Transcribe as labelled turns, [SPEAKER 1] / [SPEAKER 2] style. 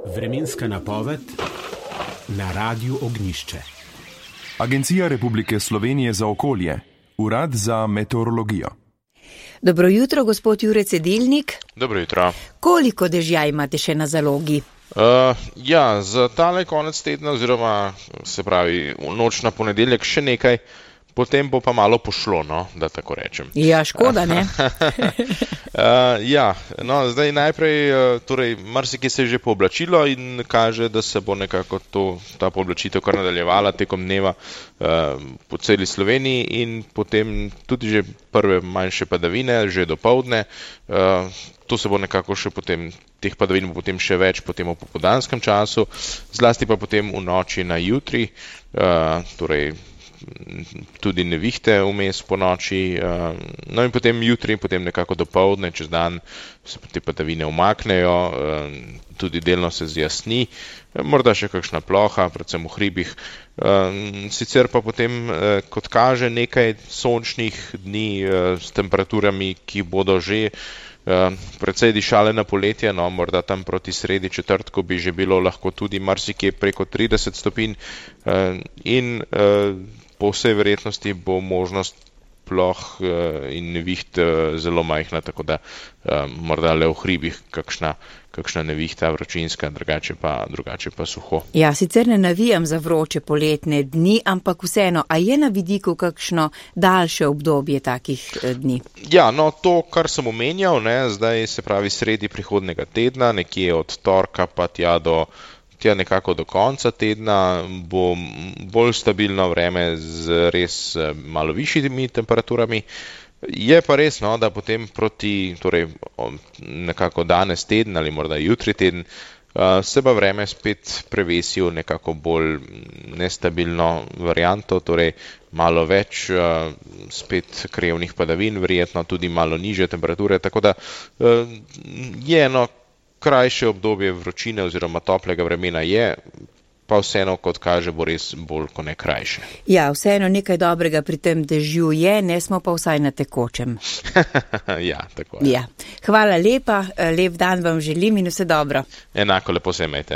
[SPEAKER 1] Vremenska napoved na Radiu Ognjišče.
[SPEAKER 2] Agencija Republike Slovenije za okolje, Urad za meteorologijo.
[SPEAKER 3] Dobro jutro, gospod Jure Cedilnik.
[SPEAKER 4] Dobro jutro.
[SPEAKER 3] Koliko dežja imate še na zalogi?
[SPEAKER 4] Za tale konec tedna, oziroma se pravi v noč na ponedeljek še nekaj, potem bo pa malo pošlo, da tako rečem.
[SPEAKER 3] Ja, škoda, ne?
[SPEAKER 4] Zdaj najprej, marsikaj se je že pooblačilo in kaže, da se bo nekako ta pooblačitev kar nadaljevala tekom dneva po celi Sloveniji in potem tudi že prve manjše padavine, že dopoldne. To se bo nekako še potem, teh padavin bo potem še več potem v popoldanskem času, zlasti pa potem v noči na jutri, tudi nevihte vmes po noči, in potem jutri, potem nekako dopoldne, čez dan se te padavine umaknejo, tudi delno se zjasni, morda še kakšna ploha, predvsem v hribih, sicer pa potem, kot kaže, nekaj sončnih dni s temperaturami, ki bodo že precej dišale na poletje, morda tam proti sredi četrtku bi že bilo lahko tudi marsikje preko 30 stopinj in po vsej verjetnosti bo možnost ploh in neviht zelo majhna, tako da morda le v hribih kakšna nevihta vročinska, drugače pa suho.
[SPEAKER 3] Ja, sicer ne navijam za vroče poletne dni, ampak vseeno, a je na vidiku kakšno daljše obdobje takih dni?
[SPEAKER 4] Ja, to, kar sem omenjal, zdaj se pravi sredi prihodnega tedna, nekje od torka pa tja nekako do konca tedna bo bolj stabilno vreme z res malo višjimi temperaturami. Je pa res, da potem proti, nekako danes teden ali morda jutri teden, se pa vreme spet prevesi v nekako bolj nestabilno varianto, malo več spet krevnih padavin, verjetno tudi malo nižje temperature, tako da je krajše obdobje vročine oziroma toplega vremena je, pa vseeno, kot kaže, bo res bolj kot ne krajše.
[SPEAKER 3] Ja, vseeno nekaj dobrega pri tem dežju je, ne smo pa vsaj na tekočem.
[SPEAKER 4] Ja, tako je.
[SPEAKER 3] Ja. Hvala lepa, lep dan vam želim in vse dobro.
[SPEAKER 4] Enako, lepo se imejte.